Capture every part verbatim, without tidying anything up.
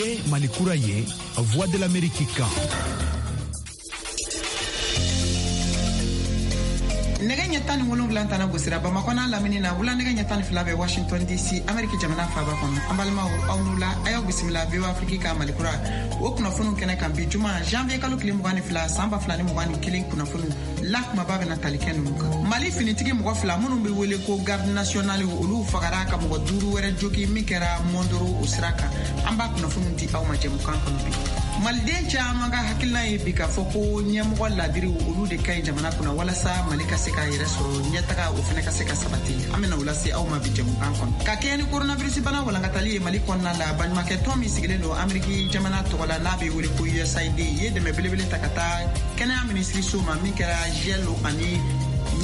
Nin ye Mali kura ye, Voix de l'Amérique kan. Nɛgɛ ɲɛ tan ni wolonwula tana gosira Bamakɔ n'a lamini na, wula nɛgɛ ɲɛ tan ni fila bɛ Washington D C, Ameriki jamana faaba kɔnɔ. An balimaw, aw n'u la, a y'aw bisimila V O A Afrique ka Malikura o kunnafoniw kɛnɛ kan bi juma, janvier kalo tile mugan ni fila, san ba fila ni mugan ni kelen. Kunnafoniw la kumaba bɛna tali kɛ ninnu kan: Mali finitigi mɔgɔ fila minnu bɛ wele ko garde nationale, olu fagara ka mɔgɔ duuru wɛrɛ jogi min kɛra Mondoro o sira kan. An b'a kunnafoniw di aw ma jɛmukan kɔnɔ bi. Maliden caman ka hakilina ye bi k'a fɔ ko ɲɛmɔgɔ ladiriw, olu de ka ɲi jamana kunna walasa Mali ka se k'a yɛrɛ sɔrɔ, ɲɛtaga o fana ka se ka sabati. An bɛna o lase aw ma bi jɛmukan kɔnɔ. Ka kɛɲɛ ni coronavirus bana walankatali ye Mali kɔnɔna la, baɲumankɛ tɔn min sigilen don Ameriki jamana tɔgɔ la, n'a bɛ wele ko U S A I D, ye dɛmɛ belebele ta ka taa kɛnɛya minisiriso ma, min kɛra gel ani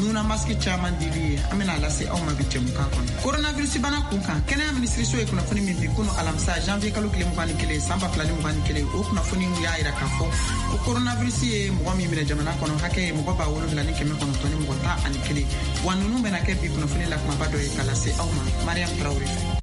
nuna masque caman dili ye. An bɛna lase aw ma bi jɛmukan kɔnɔ. Coronavirus bana kun kan, kɛnɛya minisiriso ye kunnafoni min bi kunu alamisa, janvier kalo tile mugan ni kelen, san ba fila ni mugan ni kelen, o kunnafoni y'a yira k'a fɔ ko coronavirus ye mɔgɔ min minɛ jamana kɔnɔ, hakɛ ye mɔgɔ ba wolonwula ni kɛmɛ kɔnɔntɔn ni mɔgɔ tan ani kelen. Wa nunu bɛna kɛ bi kunnafoni la kumaba dɔ ye ka lase aw ma Mariam Tarawele fɛ.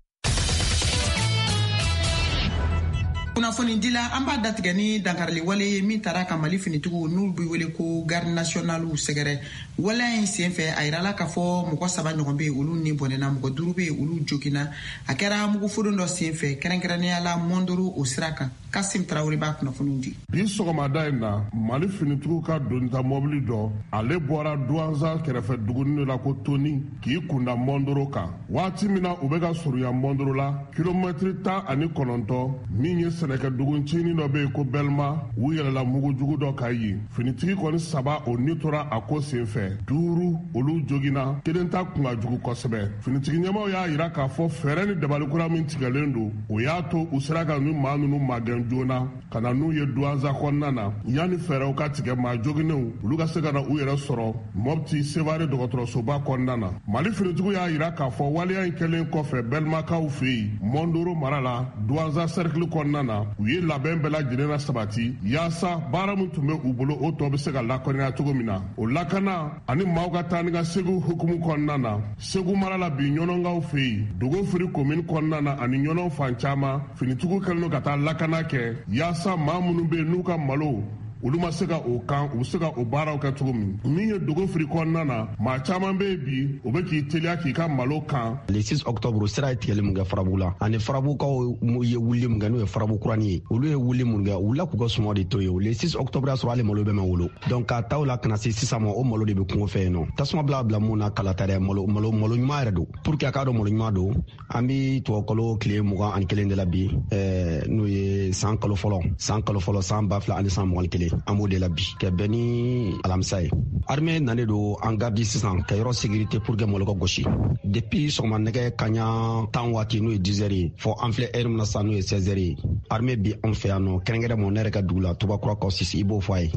Kunnafoni dila, an b'a datigɛ ni dankarili wale ye min taara ka Mali finitigiw n'u be wele ko garde nationalew sɛgɛrɛ. Waleya in sen fɛ, a yirala k'a fɔ mɔgɔ saba ɲɔgɔn be olu ni bɔnɛna, mɔgɔ duuru be olu jogina. A kɛra mugufodon dɔ sen fɛ, kɛrɛnkɛrɛnnenya la Mondoro o sira kan. Kasim Tarawele b'a kunnafoniw di. Bi sɔgɔmada in na, Mali finitigiw ka donita mɔbili dɔ, ale bɔra Duwanza kɛrɛfɛ duguni la ko Toni, k'i kunda Mɔndoro kan. Waati min na u bɛ ka surunya Mɔndoro la, kilomɛtiri tan ani kɔnɔntɔn, min ye sɛnɛkɛdugu ncinin dɔ bɛ yen ko Bɛlima, u yɛlɛla mugujugu dɔ kan yen. Finitigi kɔni saba, o ni tora a ko sen fɛ, duuru olu jogina, kelen ta kun ka jugu kosɛbɛ. Finitigi ɲɛmaw y'a yira k'a fɔ fɛɛrɛ ni dabalikura min tigɛlen don, o y'a to u sera ka ni maa ninnu magɛn joona ka na n'u ye Duwanza kɔnɔna na, yanni fɛɛrɛw ka tigɛ maa joginenw olu ka se ka na u yɛrɛ sɔrɔ Mɔpti Sevare dɔgɔtɔrɔsoba kɔnɔna na. Mali finitigiw y'a yira k'a fɔ waleya in kɛlen kɔfɛ Bɛlimakaw fɛ yen Mɔndoro mara la, Duwanza sɛrikili kɔnɔna na, u ye labɛn bɛɛ lajɛlen na sabati yaasa baara min tun bɛ u bolo, o tɔ bɛ se ka lakɔniya cogo min na. O lakana ani maaw ka taa ni ka segu hukumu kɔnɔna na, Segu mara la bi, Ɲɔnɔnkaw fɛ yen Dogofiri komini kɔnɔna na ani Ɲɔnɔ fan caman, finitigiw kɛlen don ka taa lakana kɛ yaasa maa minnu bɛ yen n'u ka malo olu ma se ka o kan, u bɛ se ka o baaraw kɛ cogo min. Min ye Dogofiri kɔnɔna na, maa caman bɛ yen bi, o bɛ k'i teliya k'i ka malo kan. Le six octobre, sira ye tigɛli mun kɛ Farabugu la, ani Farabugukaw ye wuli mun kɛ, n'o ye Farabu kurani ye, olu ye wuli mun kɛ, u wulila k'u ka sumaw de to yen. Le six octobre y'a sɔrɔ hali malo bɛɛ ma wolo. Donc k'a ta o la ka na se sisan ma, o malo de bɛ kungo fɛ yen nɔ. Tasuma bila bila mun na, kala ta dɛ, malo malo malo ɲuman yɛrɛ don. Pour que a k'a dɔn malo ɲuman don, an bi tubabukalo tile mugan ani kelen de la bi, ɛɛ n'o ye san kalo fɔlɔ, san kalo fɔlɔ, san ba fila ani san mugan ni kelen, an b'o de la bi, ka bɛn ni alamisa ye. Armée nalen don an garde sisan ka yɔrɔ sécurité pour que malo ka gosi. Depuis sɔgɔma nɛgɛ kaɲa tan waati, n'o ye dix heures ye, fɔ an filɛ heure min na sisan, n'o ye seize heures ye, armée bi anw fɛ yan nɔ, kɛrɛnkɛrɛn ne yɛrɛ ka dugu la, Tubakura kaw sisi, i b'o fɔ a ye.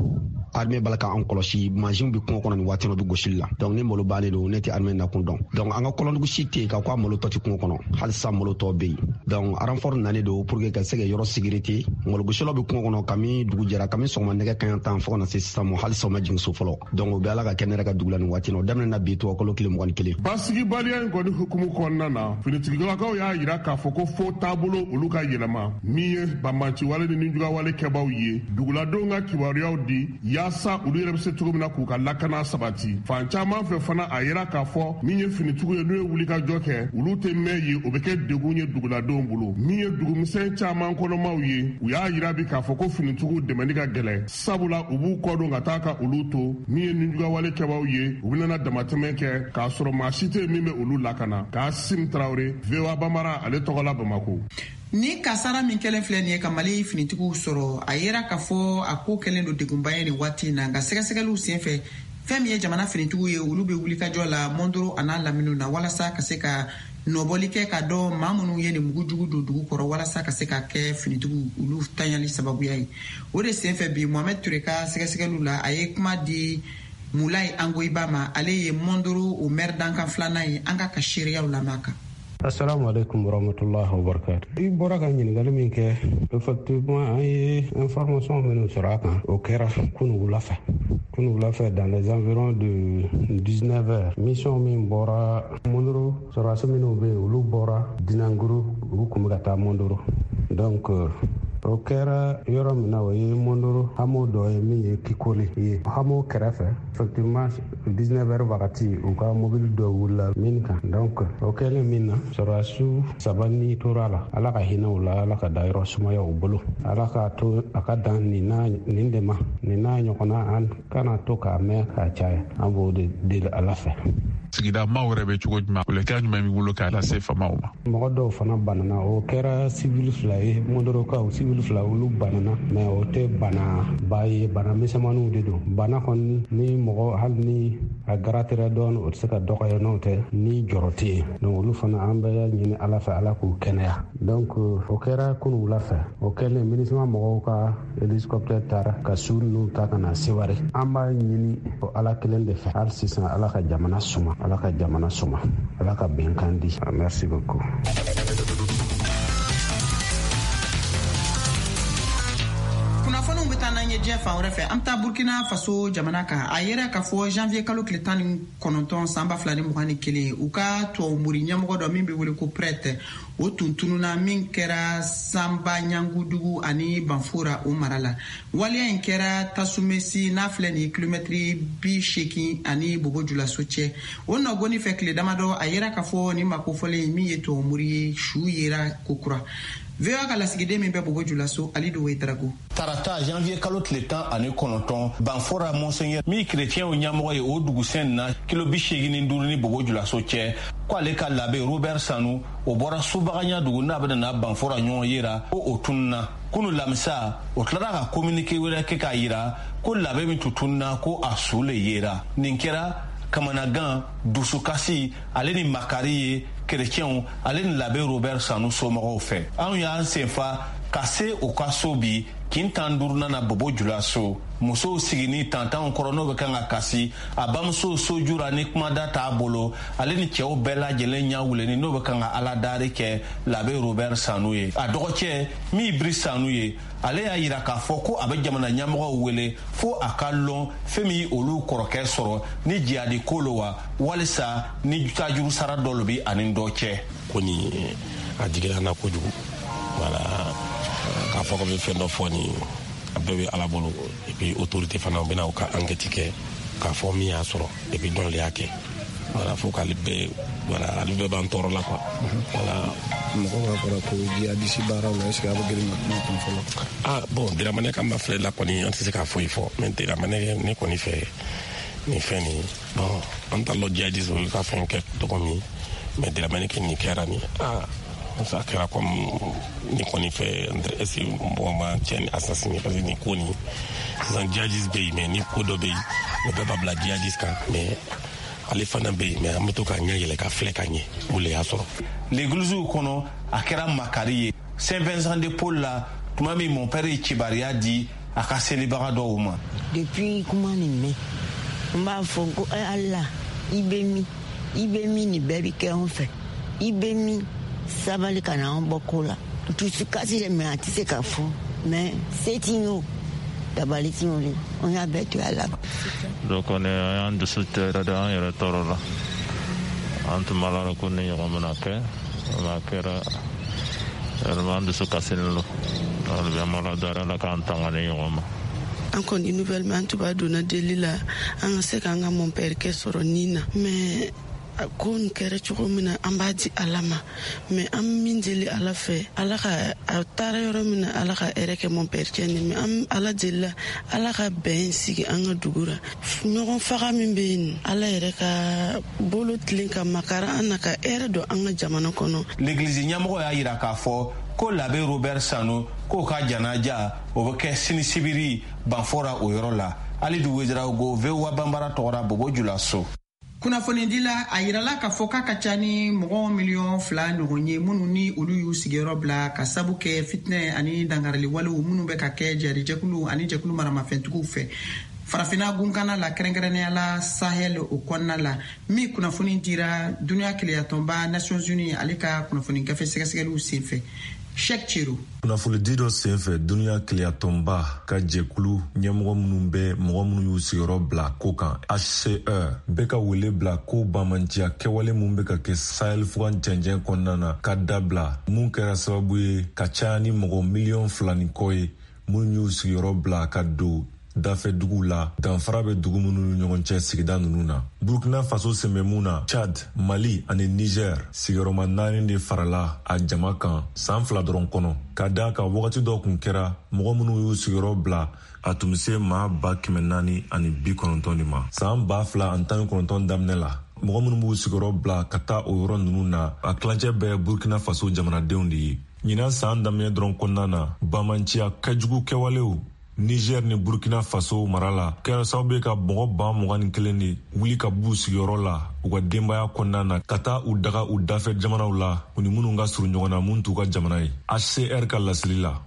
Armée b'a la k'an kɔlɔsi, mansinw bi kungo kɔnɔ nin waati, bɛ gosili la. Donc ni malo bannen don, ne tɛ armée nakun dɔn. Donc an ka kɔlɔndugu si tɛ yen ka ko a malo tɔ tɛ kungo kɔnɔ, hali sisan malo tɔ bɛ yen. Donc renfort nalen don pour que ka se ka yɔrɔ sécurité. Malogosilaw bɛ kungo kɔnɔ kami dugu jɛra, kami sɔgɔma nɛgɛ kaɲa tan fo ka na se sisan ma, hali sisan u ma jigin so fɔlɔ. Donc o bɛ ala ka kɛ ne yɛrɛ ka dugu la nin waati na. O daminɛna bi tubabukalo tile mugan ni kelen. Basigibaliya in kɔni hukumu kɔnɔna na, finitigilakaw y'a yira k'a fɔ ko fo taabolo olu ka yɛlɛma, min ye banbanciwale ni nijugawale kɛbaw ye, duguladenw ka kibaruyaw di yaasa olu yɛrɛ bɛ se cogo min na k'u ka lakana sabati fan caman fɛ. Fana a yira k'a fɔ min ye finitigiw ye, n'u ye wulikajɔ kɛ, olu tɛ mɛn ye, o bɛ kɛ degun ye duguladenw bolo. Min ye dugumisɛn caman kɔnɔmaw ye, u y'a yira bi k'a fɔ ko finitigiw dɛmɛni ka gɛlɛn, sabula u b'u kɔdon ka taa ka olu to. Min ye nijugawale kɛbaw ye, u bɛna damatɛmɛ kɛ k'a sɔrɔ maa si tɛ min bɛ olu lakana. Kasim Tarawele, V O A Bamara, ale tɔgɔ la Bamako. Ni kasara min kɛlen filɛ nin ye ka Mali finitigiw sɔrɔ, a yera k'a fɔ a ko kɛlen don degunba ye nin waati in na. Nka sɛgɛsɛgɛliw sen fɛ, fɛn min ye jamana finitigiw ye, olu bɛ wulikajɔ la Mondoro a n'a laminiw na walasa ka se ka nɔbɔli kɛ ka dɔn maa minnu ye nin mugujugu don dugu kɔrɔ, walasa ka se ka kɛ finitigiw olu tanyali sababuya ye. O de sen fɛ bi, Mohamɛd Ture ka sɛgɛsɛgɛliw la, a ye kuma di Mulayi Angoyiba ma, ale ye Mondoro o maire dankan filanan ye. An ka ka seereyaw lamɛn a kan. Assalamu alaikum warahmatullahi wabarakatuh. I bɔra ka ɲininkali min kɛ, effectivement an ye information minnu sɔrɔ a kan, o kɛra kunu wula fɛ, kunu wula fɛ, dans les environs de dix-neuf heures. Mission min bɔra Mondoro, sɔrɔdasi minnu bɛ yen, olu bɔra Dinanguru, olu kun bɛ ka taa Mondoro. Donc O kɛra yɔrɔ min na, o ye Mondoro hameau dɔ ye min ye Kikoli ye, hameau kɛrɛfɛ. Effectivement, dix-neuf heures wagati, u ka mobili dɔ wulila min kan. Donc o kɛlen min na, sɔrɔdasiw saba ni tora la. Ala ka hinɛ u la, Ala ka dayɔrɔ sumaya u bolo, Ala k'a to a ka dan nin n'a nin de ma, nin n'a ɲɔgɔnna an kana to k'a mɛn k'a caya. An b'o de deli Ala fɛ. Sigida maaw yɛrɛ bɛ cogo jumɛn, welekan jumɛn b'i bolo k'a lase faamaw ma? Mɔgɔ dɔw fana banana, o kɛra sivili fila ye, Mondorokaw sivili fila, olu banana, mais o tɛ bana ba ye, bana misɛnmaninw de don. Bana kɔni ni mɔgɔ hali ni a garatera dɔɔni, o tɛ se ka dɔgɔya, n'o tɛ ni jɔrɔ tɛ yen. Donc olu fana an bɛ ɲini Ala fɛ, Ala k'u kɛnɛya. Donc o kɛra kunun wula fɛ. O kɛlen, MINUSMA mɔgɔw ka hélicoptère taara ka su ninnu ta ka na Seware. An b'a ɲini o Ala kelen de fɛ hali sisan, Ala ka jamana suma, Ala ka jamana suma, Ala ka bɛnkan di. Merci beaucoup. Kunnafoniw bɛ taa n'an ye diɲɛ fan wɛrɛ fɛ. An bɛ taa Burkina Faso jamana kan. A yera k'a fɔ janvier kalo tile tan ni kɔnɔntɔn san ba fila ni mugan ni kelen, u ka tubabumori ɲɛmɔgɔ dɔ min bɛ wele ko prêtre, o tun tununa min kɛra Sanba Ɲangudugu ani Banfora o mara la. Waleya in kɛra Tasumesi n'a filɛ nin ye kilomɛtiri bi seegin ani Bobo Julaso cɛ. O nɔgɔni fɛ tile damadɔ, a yera k'a fɔ nin makofɔlen min ye tubabumori ye, su yera kokura. V O A ka lasigiden min bɛ Bobo Julaso, Alidu Wedrago. Tarata janvier kalo tile tan ani kɔnɔntɔn, Banfora monseigneur min kerecɛnw ɲɛmɔgɔ ye o dugusɛn na kilo bi seegin ni duuru ni Bobo Julaso cɛ, ko ale ka labe Robert Sanu, o bɔra Subaganya dugu n'a bɛna na Banfora ɲɔgɔn yera, ko o tununa. Kunu lamisa, o tilara ka communiqué wɛrɛ kɛ k'a yira ko labe min tun tununa, ko a su le yera. Nin kɛra kamanagan, dusukasi ale ni makari ye kerecɛnw ale ni labe Robert Sanu somɔgɔw fɛ. Anw y'an senfa ka se u ka so bi kin tan duurunan na Bobo Julaso. Musow sigini tantanw kɔrɔ n'o bɛ kan ka kasi, a bamuso sojura ni kumada t'a bolo, ale ni cɛw bɛɛ lajɛlen ɲɛ wuleni n'o bɛ kan ka ala dari kɛ labe Robert Sanu ye. A dɔgɔcɛ min Biri Sanu ye, ale y'a yira k'a fɔ ko a bɛ jamana ɲɛmɔgɔw wele fo a ka lɔn fɛn min olu kɔrɔkɛ sɔrɔ ni jihadi ko lo wa, walisa ni tajuru sara dɔ lo bi ani dɔ cɛ. Ko nin a digira na kojugu, wala k'a fɔ ko bɛ fɛn dɔ fɔ nin a bɛɛ bɛ Ala bolo. Et puis autorité fana u bɛna u ka enquête kɛ k'a fɔ min y'a sɔrɔ et puis dɔn de y'a kɛ. Voilà, fo k'ale bɛɛ, voilà, ale bɛɛ b'an tɔɔrɔ la quoi. Voilà. Mɔgɔ b'a fɔra ko jihadisi baaraw la, est ce que a bɛ girin ka kuma kun fɔlɔ? Ah bon, Dramane kan b'a filɛ la kɔni, an tɛ se k'a foyi fɔ, mais Dramane ne kɔni fɛ nin fɛn nin, bon, an t'a lɔn jihadisi olu ka fɛn kɛ cogo min, mais Dramane kɛ nin kɛra nin, ah ça kɛra comme ni kɔni fɛ, est ce que mɔgɔ ma cɛ ni assassiné, parce que nin ko nin sisan jihadisi bɛ yen, mais ni ko dɔ bɛ yen, o bɛɛ b'a bila jihadisi kan, mais ale fana bɛ yen, mais an bɛ to ka ɲɛ yɛlɛ ka filɛ ka ɲɛ o le y'a sɔrɔ. L'église kɔnɔ a kɛra makari ye Saint Vincent de Paul la tuma min mon père ye kibaruya di a ka selibaga dɔw ma. Depuis kuma nin mɛn, n b'a fɔ ko Ala, i bɛ min, i bɛ min, nin bɛɛ bɛ kɛ anw fɛ, i bɛ min, sabali ka na an bɔ ko la. Dusukasi de, mais a tɛ se ka fɔ, mais se ti ye o, dabali ti ye o de, an y'a bɛɛ to Ala. Donc kɔni an y'an dusu tɛ yɛrɛ de, an yɛrɛ tɔɔrɔ la. An tun b'a la ko ni ɲɔgɔn bɛna kɛ, a kɛra vraiment an dusu kasilen don. Hali bi an b'Ala dari, Ala k'an tanga ni ɲɔgɔn ma. An kɔni nouvelle mɛn, an tun b'a donna deli la an ka se k'an ka mon père kɛ sɔrɔ nin na, mais ko nin kɛra cogo min na, an b'a di Ala ma, mais an min deli Ala fɛ, Ala ka a taara yɔrɔ min na, Ala ka hɛrɛ kɛ mon père cɛ nin, mais an Ala delila Ala ka bɛn sigi an ka dugu la. Ɲɔgɔn faga min bɛ yen, Ala yɛrɛ ka bolo tilen ka makara an na ka hɛrɛ don an ka jamana kɔnɔ. L'église ɲɛmɔgɔ y'a yira k'a fɔ ko labe Robert Sanu k'o ka janaja o bɛ kɛ sini sibiri Banfora o yɔrɔ la. Alidu Wedraogo, V O A Banbara tɔgɔra Bobo Julaso. Kunnafonidila, a yirala k'a fɔ k'a ka ca ni mɔgɔ miliyɔn fila ɲɔgɔn ye minnu ni olu y'u sigiyɔrɔ bila ka sabu kɛ fitinɛ ani dangarili walew minnu bɛ ka kɛ jarijɛkulu ani jɛkulu maramafɛntigiw fɛ farafinna gunkana la, kɛrɛnkɛrɛnnenya la Sahel o kɔnɔna la, min kunnafoni dira duniya keleyatɔnba Nations Unies ale ka kunnafoni gafe sɛgɛsɛgɛliw senfɛ. Cheick Chero. Kunnafonidi dɔ senfɛ, duniya keleyatɔnba ka jɛkulu ɲɛmɔgɔ minnu bɛ mɔgɔ minnu y'u sigiyɔrɔ bila ko kan H C R bɛ ka wele bila ko bamanciya kɛwale mun bɛ ka kɛ Sahel fugan cɛncɛn kɔnɔna na ka dabila, mun kɛra sababu ye ka caya ni mɔgɔ miliyɔn fila ni kɔ ye minnu y'u sigiyɔrɔ bila ka don dafɛ duguw la, danfara bɛ dugu minnu ni ɲɔgɔn cɛ sigida ninnu na. Burkina Faso sen bɛ mun na, Chad, Mali ani Niger sigiyɔrɔma naani de farala a jama kan san fila dɔrɔn kɔnɔ, ka daa kan wagati dɔ kun kɛra mɔgɔ minnu y'u sigiyɔrɔ bila, a tun bɛ se maa ba kɛmɛ naani ani bi kɔnɔntɔn de ma. San ba fila ani tan ni kɔnɔntɔn daminɛ la, mɔgɔ minnu b'u sigiyɔrɔ bila ka taa o yɔrɔ ninnu na, a tilancɛ bɛɛ Burkina Faso jamanadenw de ye. Ɲinan saan daminɛ dɔrɔn kɔnɔna na, bamanciya kɛjugu kɛwalew Niger ni Burkina Faso mara la kɛra sababu ye ka mɔgɔ ba mugan ni kelen de wuli ka b'u sigiyɔrɔ la u ka denbaya kɔnɔna na, ka taa u daga u dafɛ jamanaw la, u ni minnu ka surun ɲɔgɔn na, mun t'u ka jamana ye. H C R ka laseli la,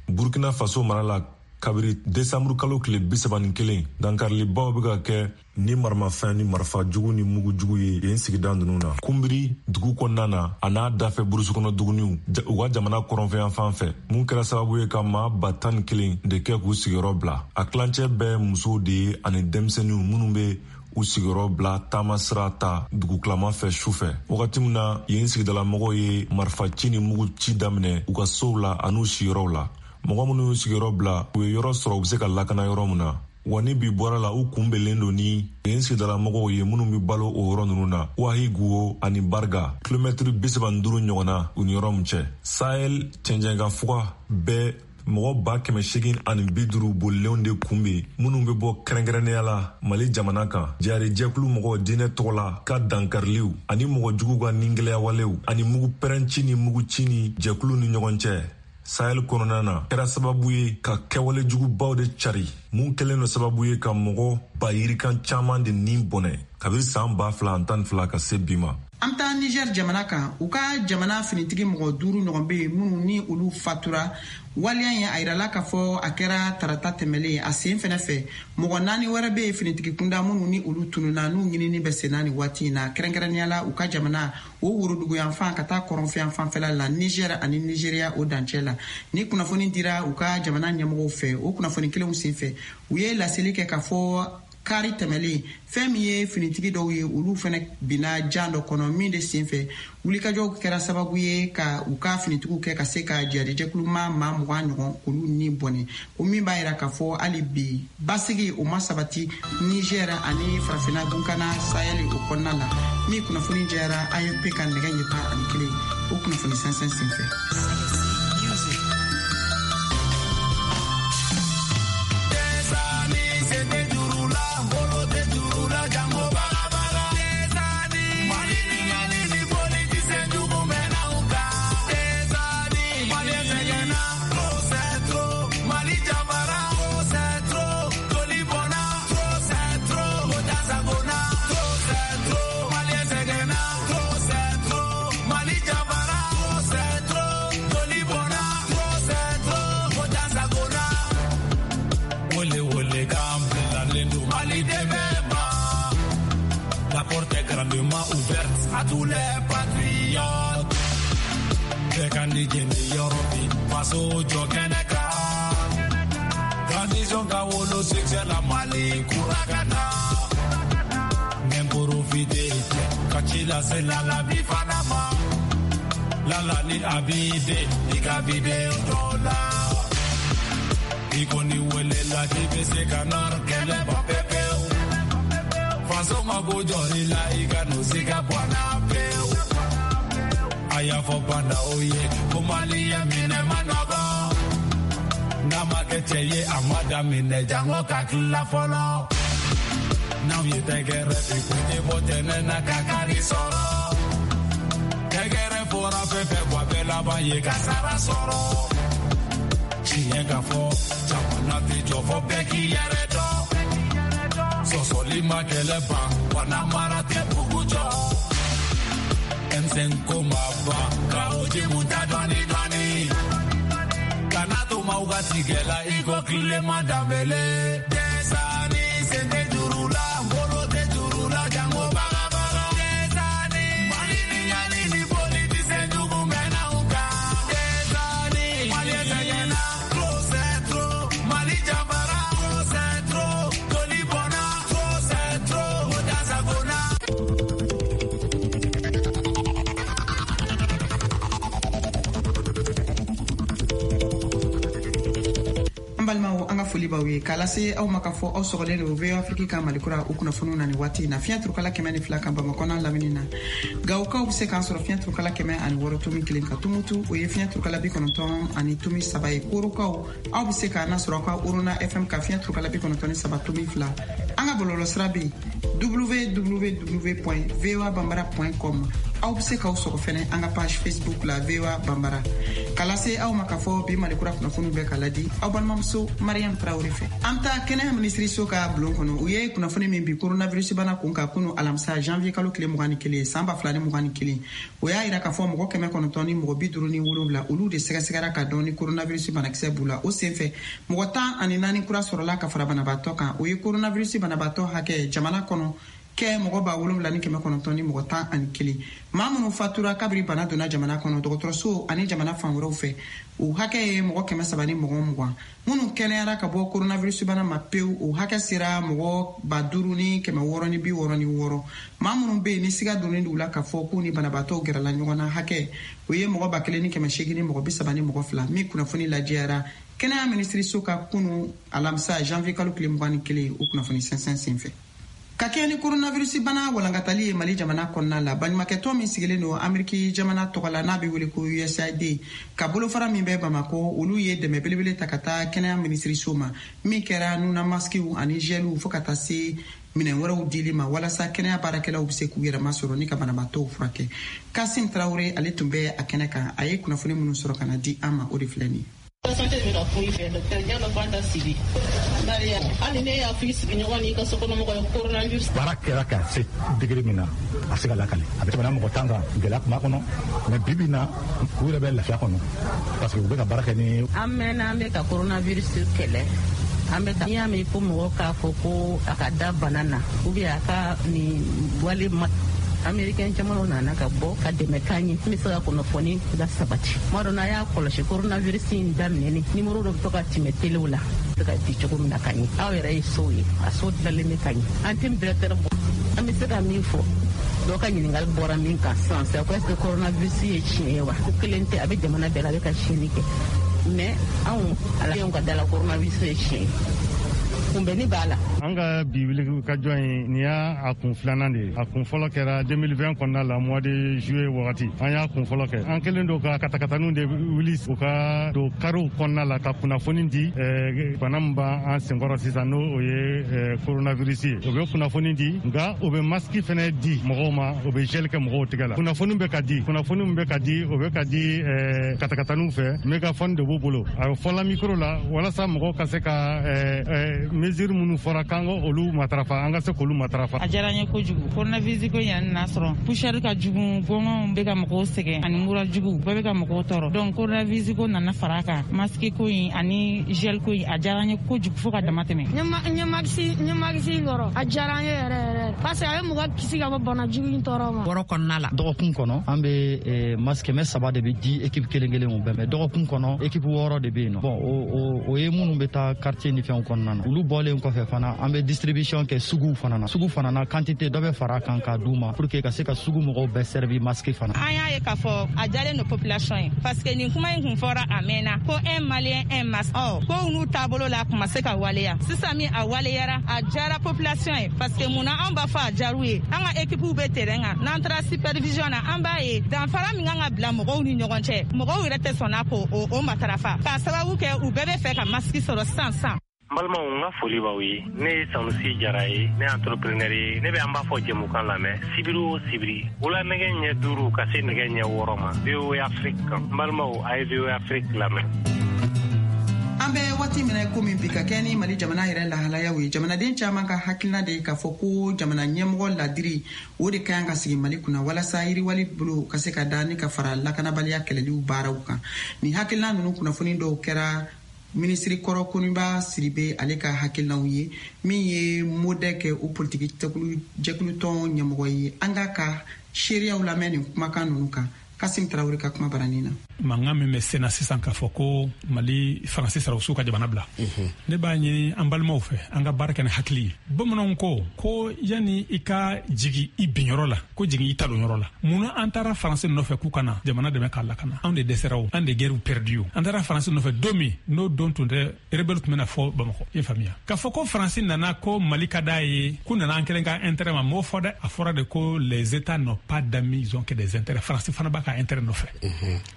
Burkina Faso mara la, kabiri desanburu kalo tile bisaba ni kelen, dankarilibaw bɛ ka kɛ ni maramafɛn ni marifa jugu ni mugu jugu ye yen sigida ninnu na, Kunbiri dugu kɔnɔna na a n'a dafɛ burusu kɔnɔ duguniw u ka jamana kɔrɔnfɛyan fan fɛ, mun kɛra sababu ye ka maa ba tan ni kelen de kɛ k'u sigiyɔrɔ bila. A tilancɛ bɛɛ musow de ye ani denmisɛnninw minnu bɛ u sigiyɔrɔ bila taama sira ta dugukilama fɛ su fɛ, wagati min na yen sigidalamɔgɔw ye marifa ci ni mugu ci daminɛ u ka sow la an'u siyɔrɔw la. Mɔgɔ minnu y'u sigiyɔrɔ bila, u ye yɔrɔ sɔrɔ u be se ka lakana yɔrɔ min na. Wa ni bi bɔra la, u kunbɛnlen don ni yen sigidalamɔgɔw ye minnu be balo o yɔrɔ ninnu na, Wahiguwo ani Barga, kilomɛtiri bisaba ni duuru ɲɔgɔn na u ni yɔrɔ min cɛ. Sahel cɛncɛnkan fuga bɛɛ mɔgɔ ba kɛmɛ segin ani bi duuru bolilenw de kunbɛn, minnu bɛ bɔ kɛrɛnkɛrɛnnenya la Mali jamana kan. Jari jɛkulu mɔgɔ diinɛ tɔgɔ la ka dankariliw ani mɔgɔ juguw ka ningɛlɛyawalew ani mugu pɛrɛnci ni mugu ci ni jɛkulu ni ɲɔgɔn cɛ Sahel kɔnɔna na kɛra sababu ye ka kɛwale jugubaw de cari, mun kɛlen do sababu ye ka mɔgɔ ba yirikan caman de nin bɔnɛ kabiri saan ba fila an tan ni fila ka se bi ma. An bɛ taa Niger jamana kan. U ka jamana finitigi mɔgɔ duuru ɲɔgɔn bɛ yen minnu ni olu fatura. Waleya ye a yirala k'a fɔ a kɛra tarata tɛmɛlen. A sen fɛnɛ fɛ, mɔgɔ naani wɛrɛ bɛ yen finitigi kunda minnu ni olu tununa, n'u ɲinini bɛ senna nin waati in na, kɛrɛnkɛrɛnnenya la u ka jamana o woroduguyanfan ka taa kɔrɔnfɛyan fanfɛla la, Niger ani Nigeria o dancɛ la. Ni kunnafoni dira u ka jamana ɲɛmɔgɔw fɛ, o kunnafoni kelenw sen fɛ, u ye laseli kɛ k'a fɔ kari tɛmɛlen, fɛn min ye finitigi dɔw ye, olu fɛnɛ binna jan dɔ kɔnɔ, min de sen fɛ wulikajɔw kɛra sababu ye ka u ka finitigiw kɛ ka se ka jihadijɛkuluma maa mugan ɲɔgɔn olu ni bɔnɛ. O min b'a yira k'a fɔ hali bi basigi o ma sabati Niger ani Farafina gunkana Sahel o kɔnɔna la. Min kunnafoni jɛyara A F P ka nɛgɛ ɲɛ tan ani kelen o kunnafoni sɛnsɛn sen fɛ. La porte est grandement ouverte à tous les patriotes. Bɛɛ ka ni jeni yɔrɔ bi faso jɔ kɛnɛ kan. Transition ka wolo succès la, Mali kura ka na. N profiter ka ci lase Lala bi fana ma. Lala ni Abide i ka vidéo dɔ la. I kɔni welela k'i bɛ se ka nɔrɔ kɛlɛ ban pepewu. Faso mako jɔr'i la, i ka n'o siga bɔ a la pewu. A y'a fɔ banda o ye ko Maliyɛn minɛ ma nɔgɔ. N'a ma kɛ cɛ ye, a ma daminɛ jango ka tila fɔlɔ. N'anw ye tɛgɛrɛ bi kun tɛ bɔ tɛnɛ na ka kari sɔrɔ. Tɛgɛrɛ fɔra fɛn fɛn wa bɛɛ laban ye ka sara sɔrɔ. Tiɲɛ ka fɔ, jamana tɛ jɔ fɔ bɛɛ k'i yɛrɛ dɔn. Sɔsɔli ma kɛlɛ ban wa n'a mara tɛ bugu jɔ. M cinq ko ma ban ka o jimu ta dɔɔni dɔɔni. Kana to maaw ka tigɛ la i ko Tilema Danbele. Desani sen tɛ juru la, bolo tɛ juru la, jango bagabaga. Desani Mali ni ɲani ni politicien jugu mɛnna u kan. Desani. An balimaw, an ka foli b'aw ye k'a lase aw ma k'a fɔ aw sɔgɔlen don V O A Afrique ka Malikura o kunnafoniw na nin waati in na. Fiɲɛ turukala kɛmɛ ni fila kan Bamakɔ n'a lamini na. Gawokaw bɛ se k'an sɔrɔ fiɲɛ turukala kɛmɛ ani wɔɔrɔ tomi kelen kan. Tumutu, o ye fiɲɛ turukala bi kɔnɔntɔn ani tomi saba ye. Korokaw, aw bɛ se k'an nasɔrɔ aw ka Orona F M ka fiɲɛ turukala bi kɔnɔntɔn ni saba tomi fila. An ka bɔlɔlɔsira bɛ yen w w w point v o a bambara point com. Aw bɛ se k'aw sɔgɔ fɛnɛ an ka page Facebook la V O A Bambara. K'a lase aw ma k'a fɔ bi Malikura kunnafoniw bɛ ka ladi aw balimamuso Mariam Traoré fɛ. An bɛ taa kɛnɛya minisiriso ka bulon kɔnɔ. U ye kunnafoni min bi coronavirus bana kun kan kunu alamisa janvier kalo tile mugan ni kelen san ba fila ni mugan ni kelen, o y'a yira k'a fɔ mɔgɔ kɛmɛ kɔnɔntɔn ni mɔgɔ bi duuru ni wolonwula olu de sɛgɛsɛgɛra ka dɔn ni coronavirus banakisɛ b'u la. O senfɛ mɔgɔ tan ani naani kura sɔrɔla ka fara banabaatɔ kan. O ye coronavirus banabaatɔ hakɛ jamana kɔnɔ kɛ mɔgɔ ba wolonwula ni kɛmɛ kɔnɔntɔn ni mɔgɔ tan ani kelen. Maa minnu fatura kabiri bana donna jamana kɔnɔ dɔgɔtɔrɔso ani jamana fan wɛrɛw fɛ, o hakɛ ye mɔgɔ kɛmɛ saba ni mɔgɔ mugan. Minnu kɛnɛyara ka bɔ coronavirus bana ma pewu, o hakɛ sera mɔgɔ ba duuru ni kɛmɛ wɔɔrɔ ni bi wɔɔrɔ ni wɔɔrɔ. Maa minnu bɛ yen ni siga donnen d'u la k'a fɔ k'u ni banabaatɔw gɛrɛla ɲɔgɔn na hakɛ, o ye mɔgɔ ba kelen ni kɛmɛ seegin ni mɔgɔ bi saba ni mɔgɔ fila. Min kunnafoni lajɛyara kɛnɛya minisiriso ka kunu alamisa janvier kalo tile mugan ni kelen o kunnafoni sɛnsɛn senfɛ. Ka kɛ ni coronavirus bana walankatali ye Mali jamana kɔnɔna la, baɲumankɛtɔn min sigilen don Ameriki jamana tɔgɔ la n'a bɛ wele ko U S A I D ka bolofara min bɛ Bamakɔ, olu ye dɛmɛ belebele ta ka taa kɛnɛya minisiriso ma, min kɛra nuna maskiw ani geliw fo ka taa se minɛn wɛrɛw dili ma walasa kɛnɛya baarakɛlaw bɛ se k'u yɛrɛ masɔrɔ ni ka banabaatɔw furakɛ. Kasim Traoré ale tun bɛ a kɛnɛ kan, a ye kunnafoni minnu sɔrɔ ka na di an ma, o de filɛ nin ye. Santé bɛ ka kun i fɛ docteur Diallo Fanta Sibi. Maria, hali ne y'a fɔ i sigiɲɔgɔn n'i ka sokɔnɔmɔgɔ ye coronavirus. Baara kɛra ka se degré min na, a se ka lakale. A bɛ tɛmɛ mɔgɔ tan kan, gɛlɛya tun b'a kɔnɔ. Mais bi bi in na, u yɛrɛ bɛ lafiya kɔnɔ parce que u bɛ ka baara kɛ ni. An mɛnna an bɛ ka coronavirus kɛlɛ. An bɛ ka n'i y'a mɛn ko mɔgɔ k'a fɔ ko a ka da bana na ou bien a ka nin wale ma. Américain jamanaw nana ka bɔ ka dɛmɛ k'an ye min bɛ se ka kunnafoni la sabati. Tuma dɔ n'a y'a kɔlɔsi coronavirus in daminɛni nimoro dɔ bɛ to ka tɛmɛ telew la se ka di cogo min na ka ɲɛ. Aw yɛrɛ ye sow ye, a so dilanlen bɛ ka ɲɛ. An tɛ directeur bɔ, an bɛ se ka min fɔ dɔw ka ɲininkali bɔra min kan sisan c'est ko est-ce que coronavirus ye tiɲɛ ye wa? Ko kelen tɛ, a bɛ jamana bɛɛ la, a bɛ ka tiɲɛni kɛ. Mais anw ala ka da la coronavirus ye tiɲɛ ye. Kunbɛnni b'a la. An ka bi wuli ka jɔ in nin y'a a kun filanan de ye. A kun fɔlɔ kɛra deux mille vingt kɔnɔna la mois de juillet wagati. An y'a kun fɔlɔ kɛ. An kɛlen don ka katakataninw de wuli u ka don kariw kɔnɔna la ka kunnafoni di bana min b'an senkɔrɔ sisan n'o o ye coronavirus ye. U bɛ kunnafoni di nka u bɛ masque fɛnɛ di mɔgɔw ma, u bɛ gel kɛ mɔgɔw tigɛ la. Kunnafoni bɛ ka di, kunnafoni min bɛ ka di, o bɛ ka di katakataninw fɛ. Mégaphone de b'u bolo. A bɛ fɔla micro la walasa mɔgɔw ka se ka mesure minnu fɔra k'an ka olu matarafa, an ka se k'olu matarafa. A diyara n ye kojugu. Coronavirus ko in nana sɔrɔ poussière ka jugu, gɔngɔnw bɛ ka mɔgɔw sɛgɛn ani mura jugu bɛɛ bɛ ka mɔgɔw tɔɔrɔ. Donc coronavirus ko nana fara a kan, masque ko in ani gel ko in a diyara n ye kojugu fo ka dama tɛmɛ. N ye masque n ye masque sɔrɔ, a diyara n ye yɛrɛ yɛrɛ parce que a ye mɔgɔ kisi ka bɔ bana jugu in tɔɔrɔ ma. Wɔɔrɔ kɔnɔna la, dɔgɔkun kɔnɔ an bɛ masque kɛmɛ saba de bɛ di équipe kelen kelen o bɛɛ mais dɔgɔkun kɔnɔ équipe wɔɔrɔ de bɛ yen nɔ. Bon o o ye minnu bɛ taa quartier ni fɛnw kɔnɔna na. Olu bɔlen kɔfɛ fana an bɛ distribution kɛ suguw fana na. Sugu fana na quantité dɔ bɛ fara kan k'a d'u ma pour que ka se ka sugu mɔgɔw bɛɛ servi masque fana. An y'a ye k'a fɔ a jalen don population ye parce que nin kuma in kun fɔra a mɛnna ko un Malien un masque. Ɔ ko n'u taabolo la a kun ma se ka waleya. Sisan min a waleyara, a jara population ye parce que munna anw b'a fɔ a jar'u ye. An ka équipe bɛ terrain kan, n'an taara supervision na an b'a ye danfara min kan ka bila mɔgɔw ni ɲɔgɔn cɛ, mɔgɔw yɛrɛ tɛ sɔnna k'o o matarafa k'a sababu kɛ u bɛɛ bɛ fɛ ka masque sɔrɔ sisan sisan. N balimaw, n ka foli b'aw ye. Ne ye Sanusi Jara ye, ne ye entrepreneur ye. Ne bɛ an b'a fɔ jɛmukan lamɛn sibiri o sibiri wula nɛgɛ ɲɛ duuru ka se nɛgɛ ɲɛ wɔɔrɔ ma V O A Afrique kan. N balimaw, a ye V O A Afrique lamɛn. An bɛ waati min na komi bi ka kɛ ni Mali jamana yɛrɛ lahalayaw ye, jamanaden caman ka hakilina de ye k'a fɔ ko jamana ɲɛmɔgɔ ladiri o de ka kan ka sigi Mali kunna walasa yiriwali bolo ka se ka da ni ka fara lakanabaliya kɛlɛliw baaraw kan. Nin hakilina ninnu kunnafoni dɔw kɛra minisiri kɔrɔ Koniba Sidibe ale ka hakilinaw ye, min ye MODEC o politiki jɛkulutɔn ɲɛmɔgɔ ye. An k'a ka seereyaw lamɛn nin kumakan ninnu kan. Kasim Traoré ka kuma baranin na. Mankan min bɛ sen na sisan k'a fɔ ko Mali Faransi sɔrɔdasiw ka jamana bila, ne b'a ɲini an balimaw fɛ, an ka baara kɛ ni hakili ye. Bamananw ko ko yanni i ka jigin i binyɔrɔ la, ko jigin i talonyɔrɔ la. Munna an taara Faransi nɔfɛ k'u ka na jamana dɛmɛ k'a lakana? Anw de dɛsɛra o, an de guerre perdu o. An taara Faransi nɔfɛ don min, n'o don tun tɛ, rebelle tun bɛna fɔ Bamakɔ. I faamuya k'a fɔ ko Faransi nana ko Mali ka d'a ye, k'u nana an kelen ka intérêt ma, m'o fɔ dɛ. A fɔra de ko les états n'ont pas d'amis, ils ont que des intérêts. Faransi fana b'a ka intérêt nɔfɛ,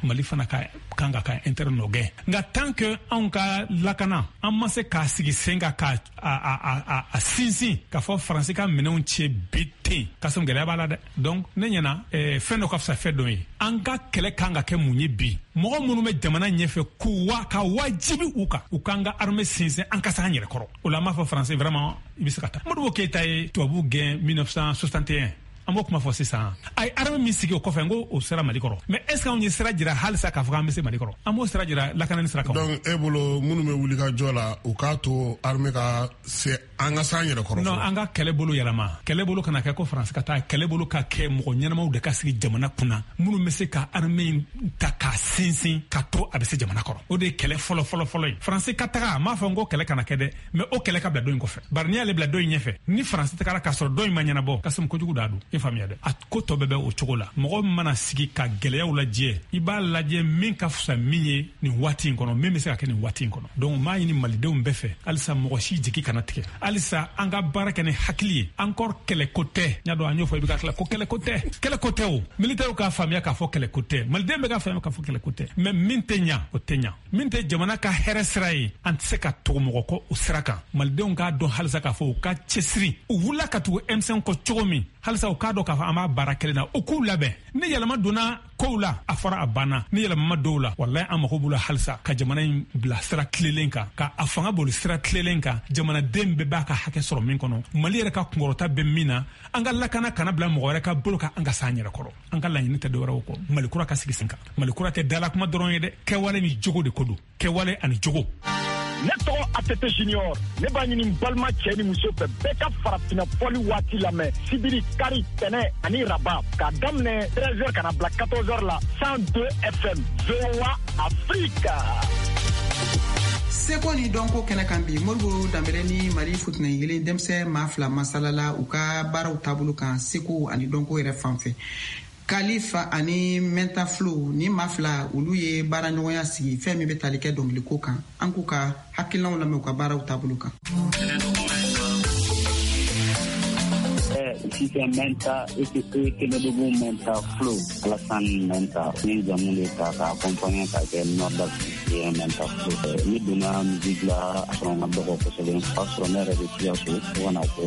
Mali fana ka kan ka ka intérêt nɔ gɛn. Nka tant que anw ka lakana, an ma se k'a sigi sen kan k'a a a a a sinsin k'a fɔ Faransi ka minɛnw cɛ bi ten, k'a sɔrɔ gɛlɛya b'a la dɛ. Donc ne ɲɛna, fɛn dɔ ka fisa fɛn dɔ ye. An ka kɛlɛ kan ka kɛ mun ye bi? Mɔgɔ minnu bɛ jamana ɲɛfɛ, k'u wa ka wajibi u kan, u k'an ka armée sinsin, an ka se an yɛrɛ kɔrɔ. O la an b'a fɔ Faransi vraiment i bɛ se ka taa. Modibo Keyita ye tubabu gɛn mille neuf cent soixante et un, an b'o kuma fɔ sisan. A ye armée min sigi o kɔfɛ, n ko o sera Mali kɔrɔ, mais est ce que anw ye sira jira halisa k'a fɔ k'an bɛ se Mali kɔrɔ? An b'o sira jira lakanani sira kan. Donc e bolo, minnu bɛ wuli ka jɔ la, u k'a to armée ka se, an ka s'an yɛrɛ kɔrɔ. Non, an ka kɛlɛ bolo yɛlɛma. Kɛlɛ bolo kana kɛ ko Faransi ka taa. Kɛlɛ bolo ka kɛ mɔgɔ ɲɛnamaw de ka sigi jamana kunna, minnu bɛ se ka armée in ta k'a sinsin ka to a bɛ se jamana kɔrɔ. O de ye kɛlɛ fɔlɔ fɔlɔ fɔlɔ ye. Faransi ka taga, a m'a fɔ n ko kɛlɛ kana kɛ dɛ, mais o kɛlɛ ka bila dɔ in kɔfɛ. Bari n'i y'ale bila dɔ in ɲɛfɛ, ni Faransi tagara k'a sɔrɔ dɔ in ma ɲɛnabɔ, ka sɔrɔ kojugu da don. I faamuya dɛ? A ko tɔ bɛɛ bɛ o cogo la. Mɔgɔ min mana sigi ka gɛlɛyaw lajɛ, i b'a lajɛ min ka fisa min ye nin waati in kɔnɔ, min bɛ se ka kɛ nin waati in kɔnɔ. Donc n b'a ɲini malidenw bɛɛ fɛ halisa, mɔgɔ si jigi kana tigɛ. Halisa an ka baara kɛ ni hakili ye. Encore, kɛlɛko tɛ. N y'a dɔn an y'o fɔ, i bɛ ka tila ko kɛlɛko tɛ, kɛlɛko tɛ. O militaires k'a faamuya k'a fɔ kɛlɛko tɛ, maliden bɛɛ k'a faamuya k'a fɔ kɛlɛko tɛ. Mais min tɛ ɲa, o tɛ ɲa. Min tɛ jamana ka hɛrɛ sira ye, an tɛ se ka tugu mɔgɔ kɔ o sira kan. Malidenw k'a dɔn halisa k'a fɔ u ka cɛsiri. U wulila ka tugu M cinq kɔ cogo min, halisa u k'a dɔn k'a fɔ an b'a baara kelen na, u k'u labɛn. Ni yɛlɛma donna kow la, a fɔra a banna. Ni yɛlɛma ma dɔw la, walayi an mago b'u la halisa ka jamana in bila sira tilelen kan, ka a fanga boli sira tilelen kan, jamanaden bɛɛ b'a ka hakɛ sɔrɔ min kɔnɔ, Mali yɛrɛ ka kunkɔrɔta bɛ min na, an ka lakana kana bila mɔgɔ wɛrɛ ka bolo kan, an ka s'an yɛrɛ kɔrɔ. An ka laɲini tɛ dɔwɛrɛw kɔ, Mali kura ka sigi sen kan. Mali kura tɛ dala kuma dɔrɔn ye dɛ, kɛwale ni jogo de ko don, kɛwale ani jogo. Ne tɔgɔ A T T Junior. Ne b'a ɲini balima cɛ ni muso fɛ, bɛɛ ka farafinna fɔli waati lamɛn sibiri, kari, tɛnɛ ani raba, k'a daminɛ treize heures ka na bila quatorze heures la, cent deux F M, V O A Afrique. Seko ni dɔnko kɛnɛ kan bi, Modibo Danbɛlɛ ni Mali futinɛyelen denmisɛn maa fila masalala u ka baaraw taabolo kan, seko ani dɔnko yɛrɛ fan fɛ. Kalifa ani Mɛnta Flo ni maa fila, olu ye baara ɲɔgɔnya sigi fɛn min bɛ tali kɛ dɔnkiliko kan. An k'u ka hakilinaw lamɛn u ka baaraw taabolo kan. Sisan Mɛnta aka Kɛnɛdugu Mɛnta Flo, Alassane Mɛnta ni jamu de ta k'a accompagner k'a kɛ Nord ye Mɛnta Flo. Ne donna musique la a sɔrɔ n ka dɔgɔ kosɛbɛ, o y'a sɔrɔ ne yɛrɛ bɛ Sikaso, fo ka na kɛ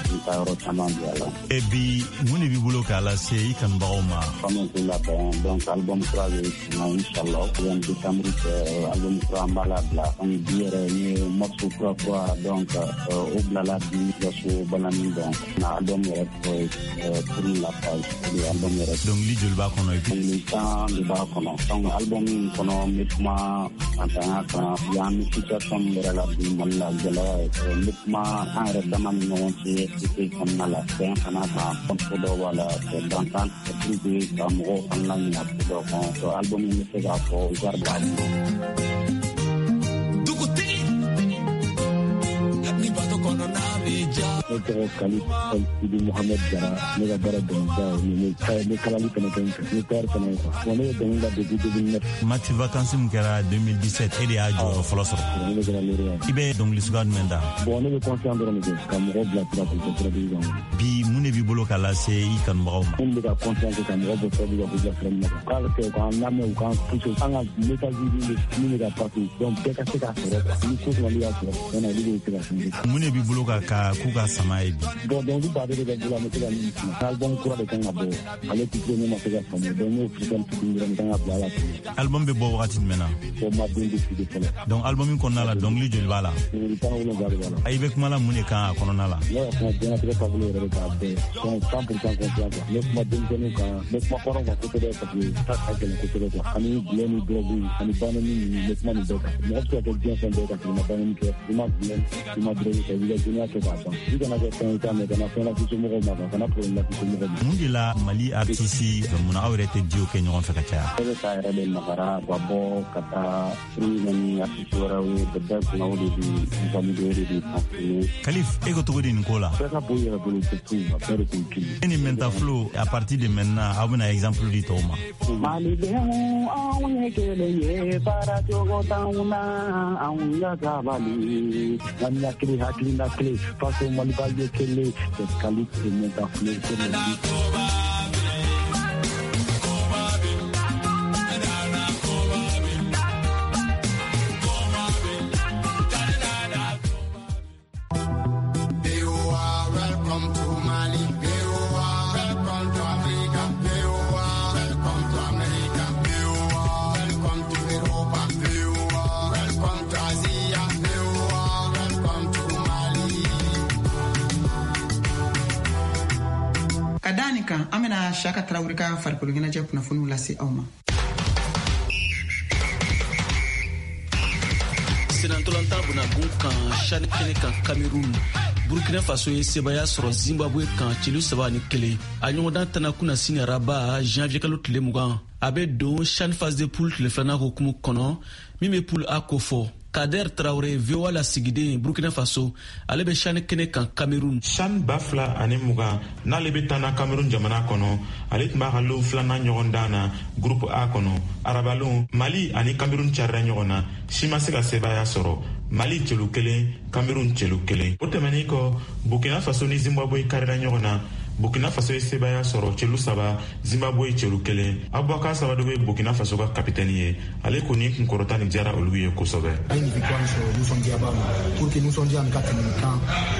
n taa yɔrɔ caman bi a la. E bi, mun de b'i bolo k'a lase i kanubagaw ma? Fanu k'u labɛn, donc album kura bɛ na inchallah, yan décembre cɛ, album kura an b'a labila. Donc bi yɛrɛ n ye morceau kura kura, donc o bilala bi Sikaso balani. Donc na album yɛrɛ tɔgɔ ye Tourne la page, o de ye album yɛrɛ. Dɔnkili joli b'a kɔnɔ? Dɔnkili tan de b'a kɔnɔ. Donc album in kɔnɔ, n bɛ kuma fantanya kan, yan bɛ situation min yɛrɛ la bi Mali la, gɛlɛya ye. N bɛ kuma an yɛrɛ dama ni ɲɔgɔn cɛ société kɔnɔna la, bɛn fana kan, ko dɔw b'a la dankan pour que ka mɔgɔw fana laɲina ko dɔw kan. Donc album in bɛ se k'a fɔ genre b'a bolo. Dugutigi ni bato kɔnɔ n'a b'i ja. Ne tɔgɔ Kali Sidi Mohamed Jara. Ne ka baara dɔnkilida ye, ne kalali fana kɛ n fɛ, ne tailleur fana ye quoi. Bon, ne ye dɔnkili da depuis deux mille neuf. Mati Vacances min kɛra deux mille dix-sept, e de y'a jɔyɔrɔ fɔlɔ sɔrɔ. Ne de kɛra lauréat. I bɛ dɔnkili suguya jumɛn da? Bon, ne bɛ conscient dɔrɔn de kɛ ka mɔgɔw bila sira k'u kɛ sira kan. Bi, mun de b'i bolo k'a lase i kanubagaw ma? Minnu bɛ ka conscient kɛ ka mɔgɔ bɔ sira kan k'u bila sira ɲuman kan, k'a kɛ k'an lamɛn, u k'an pousser, an ka message min bɛ ka passer, donc bɛɛ ka se k'a sɔrɔ quoi. Ni ko sɔrɔ y'a sɔrɔ, tiɲɛna olu de bɛ se ka changer. Mun de b'i bolo ka ka k'u ka sama ye bi? Bon, dɔnkili baden de bɛ n bolo, an bɛ se ka min ci. Album kura de kan ka bɔ, ale titre ne ma se ka faamu, donc n'o freestyle fitinin dɔrɔn kan ka bila a la. Album bɛ bɔ wagati jumɛn na? Bon, ma don décidé fɔlɔ. Donc album in kɔnɔna la, dɔnkili joli b'a la? Dɔnkili tan wolonwula de b'a la. I bɛ kuma la mun de kan a kɔnɔna la? Ne ka kuma diɲɛlatigɛ taabolo yɛrɛ de k'a bɛɛ, donc cent pour cent confiance quoi. Ne kuma denmisɛnninw kan, n bɛ kuma kɔrɔw kan kosɛbɛ, parce que ta ka gɛlɛn kosɛbɛ quoi. Ani gulɔ ni drogue ani banani ninnu, n bɛ kuma nin bɛɛ kan. Mɔgɔ bɛ se ka kɛ diɲɛ fɛn bɛɛ ka sɔrɔ i ma banani kɛ, i ma gulɔ, i ma drogue kɛ, i b'i ka duniya kɛ k'a ban. I kana Kana kɛ fɛn ye t'a mɛn, kana fɛn lase somɔgɔw ma, kana problème lase somɔgɔw ma. Mun de la Mali artiste mun aw yɛrɛ tɛ duo kɛ ɲɔgɔn fɛ ka caya? E bɛ k'a yɛrɛ de magara ka bɔ ka taa furu ni artiste wɛrɛw ye, bɛɛ kunna o de bi valider, o de bi confirmer. Kalif, e ko cogo di nin ko la? Bɛɛ ka bɔ i yɛrɛ bolo, surtout a bɛɛ de kun kelen. E ni Mentaflo, à partir de maintenant, aw bɛna exemple di tɔw ma. Malidenw, anw ye kelen ye, baara cogo t'anw na, anw ka sabali. Ŋaniya kelen, hakilina kelen, faso Maliba ye kelen, Kalif et Mentaflo. Ka da nin kan, an bɛna Siyaka Tarawele ka farikolo ɲɛnajɛ kunnafoniw lase aw ma. Senantolantan bunagun kan CHAN kɛnɛ kan Cameroun, Burkina Faso ye sebaya sɔrɔ Zimbabwe kan celu saba ni kelen. A ɲɔgɔndan tana kunna sini araba janvier kalo tile mugan. A bɛ don CHAN phase de poule tile filanan hukumu kɔnɔ min bɛ poule A kofɔ. Kader Traoré, V O A lasigiden Burkina Faso, ale bɛ CHAN kɛnɛ kan Cameroun. CHAN ba fila ani mugan n'ale bɛ taa na Cameroun jamana kɔnɔ, ale tun b'a ka lon filanan ɲɔgɔndan na groupe A kɔnɔ. Arabalon, Mali ani Cameroun carila ɲɔgɔn na, si ma se ka sebaaya sɔrɔ. Mali celu kelen, Cameroun celu kelen. O tɛmɛnen kɔ, Burkina Faso ni Zimbabwe karila ɲɔgɔn na. Burkina Faso ye sebaaya sɔrɔ celu saba, Zimbabwe celu kelen. Abubakar Sabadogo ye Burkina Faso ka kapitɛni ye. Ale kɔni kunkɔrɔta nin diyara olu ye kosɛbɛ. An ye nin victoire sɔrɔ, nisɔndiya b'a ma. Pour que nisɔndiya nin ka tɛmɛ nin kan,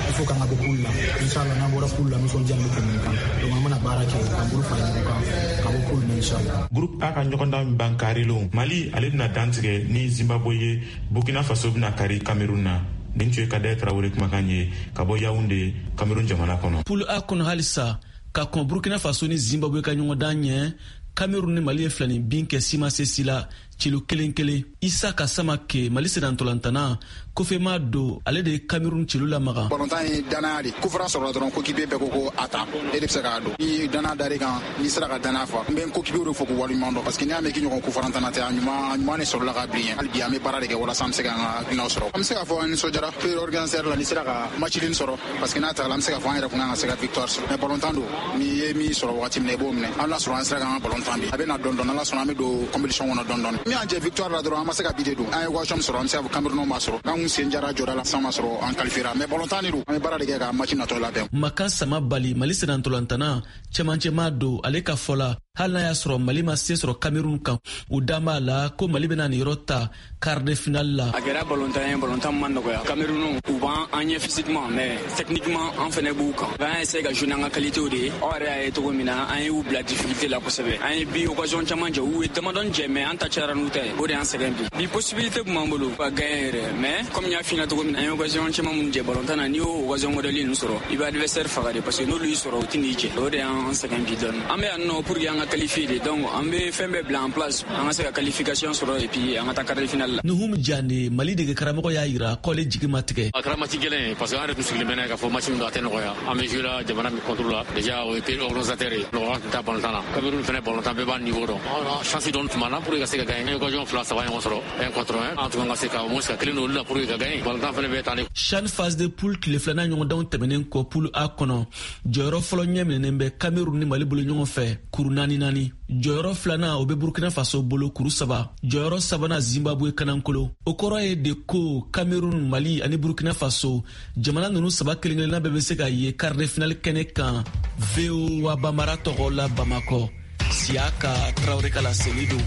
il faut k'an ka bɔ poule la. Inchallah, n'an bɔra poule la, nisɔndiya nin bɛ tɛmɛ nin kan. Donc an bɛna baara kɛ k'an bolo fara ɲɔgɔn kan ka bɔ poule la inchallah. Groupe A ka ɲɔgɔndan ban karilon, Mali ale bɛna dantigɛ ni Zimbabwe ye, Burkina Faso bɛna kari Cameroun na. Nin tun ye Kader Traoré kumakan ye ka bɔ Yaoundé, Cameroun jamana kɔnɔ. Poule A kɔnɔ halisa, ka kɔn Burkina Faso ni Zimbabwe ka ɲɔgɔndan ɲɛ, Cameroun ni Mali ye filani bin kɛ sima se si la celu kelen kelen. Isa Kasamake, Mali senantolantana kofema do, ale de ye Cameroun celu lamaga. Balontan ye danaya de, coup franc sɔrɔla dɔrɔn coéquipier bɛɛ ko ko a ta, e de bɛ se k'a don. Ni danaya dar'i kan, n'i sera ka danaya fa, n bɛ n coéquipier de fo k'u waleɲuman dɔn, parce que n'i y'a mɛn k'i ɲɔgɔn coup franc tana tɛ, a ɲuman a ɲuman de sɔrɔla ka bilen. Hali bi an bɛ baara de kɛ walasa an bɛ se k'an ka hakilinaw sɔrɔ. An bɛ se k'a fɔ an nisɔndiyara pays organisateur la, n'i sera ka match nin sɔrɔ, parce que n'a tagala an bɛ se k'a fɔ an yɛrɛ kun kan ka se ka victoire sɔrɔ. Mais balontan don, n'i ye min sɔrɔ wagati min na, i b'o minɛ. An lasɔrɔ an sera k'an ka balontan bi, a bɛ na dɔɔni dɔɔni, an lasɔrɔ an bɛ don compétition kɔnɔ dɔɔni dɔɔni. Min y'an jɛ victoire la dɔrɔn, an ma se ka bi de don. An ye occasion sɔrɔ, an bɛ se k'a fɔ Cameroun b'a sɔrɔ. N'an kun sen jara jɔda la, san ma sɔrɔ an qualifiera. Mais balontan de don, an bɛ baara de kɛ ka match natɔ labɛn. Makan Sama Bali, Mali senantolantana cɛmancɛma don, ale ka fɔ la, hali n'a y'a sɔrɔ Mali ma se sɔrɔ Cameroun kan, u dan b'a la ko Mali bɛna nin yɔrɔ ta quart de finale la. A kɛra balontan ye, balontan ma nɔgɔya. Cameroun u b'an an ɲɛ physiquement, mais techniquement an fɛnɛ b'u kan. An y'a essayer ka jouer n'an ka qualité de ye. Aw yɛrɛ y'a ye cogo min na, an y'u bila difficulté la kosɛbɛ. An ye bi occasion caman jɛ, u ye damadɔni jɛ, mais an ta cayara n'u ta ye. O de y'an sɛgɛn bi. Bi possibilité tun b'an bolo ka gagner yɛrɛ, mais comme n y'a f'i ɲɛna cogo min na, an ye occasion caman minnu jɛ balontan na, n'i y'o occasion modèle ninnu sɔrɔ, i bɛ adversaire faga de, parce que n'olu y'i sɔrɔ, u tɛ n'i jɛ. O de y'an sɛgɛn bi dɔɔni. An bɛ yan nɔ pour que an ka qualifier de, donc an bɛ fɛn bɛɛ bila en place, an ka se ka qualification sɔrɔ et puis an ka taa quart de finale la. Nuhum Jane, Mali dege karamɔgɔ y'a yira k'ale jigi ma tigɛ. A kɛra match gɛlɛn ye, parce que an yɛrɛ tun sigilen bɛ n'a ye k'a fɔ match min don, a tɛ nɔgɔya. An bɛ jouer la jamana min contre la, déjà o ye pays organisateur ye, nɔgɔya tun t'a balontan na. Cameroun fɛnɛ balontan bɛɛ b'a niveau dɔn. Chance dɔɔni tun b'an na pour que ka se ka gagner. An ye occasion fila saba ɲɔgɔn sɔrɔ, un contre un. An tun kan ka se ka au moins ka kelen don olu la pour que ka gagner. Balontan fɛnɛ bɛ tan de. CHAN phase de poule tile filanan ɲɔgɔndanw tɛmɛnen kɔ poule A kɔnɔ, jɔyɔrɔ fɔlɔ ɲɛminɛnen bɛ Cameroun ni Mali bolo ɲɔgɔn fɛ kuru naani naani. Jɔyɔrɔ filanan o bɛ Burkina Faso bolo kuru saba. Jɔyɔrɔ sabanan Zimbabwe kanankolo. O kɔrɔ ye de ko Cameroun, Mali ani Burkina Faso jamana ninnu saba kelen kelenna bɛɛ bɛ se ka ye quart de finale kɛnɛ kan. V O A Bamara tɔgɔ la Bamakɔ, Siyaka Traoré ka laseli don.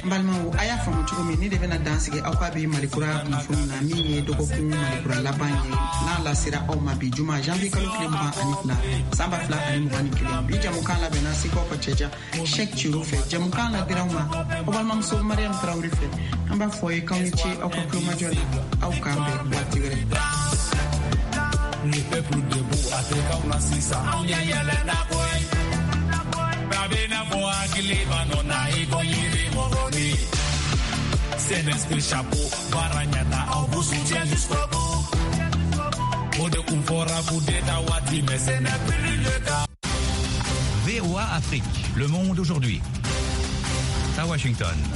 N balimaw, a y'a faamu cogo min, ne de bɛna dan sigi aw ka bi Malikura kunnafoni na, min ye dɔgɔkun Malikura laban ye, n'a lasera aw ma bi juma janvier kalo tile mugan ani fila san ba fila ani mugan ni kelen. Bi jamukan labɛnna Sikaw ka cɛja Sheikh Ciro fɛ. Jamukan ladira aw ma aw balimamuso balimamuso Mariam Traoré fɛ. An b'a fɔ ye k'aw ni ce aw ka tulomajɔ la, aw k'an bɛn waati wɛrɛ. Le peuple debout a tɛ k'anw na sisan, anw ɲɛ yɛlɛnna koyi. Bɛɛ bɛ n'a fɔ hakili b'a nɔ na i ko yiri mɔgɔni. C N S P chapeau, baara ɲɛna, on vous soutient jusqu'au bout. O de kun fɔra coup d'état waati, mais ce n'est plus le cas. V O A Afrique, le monde aujourd'hui. À Washington.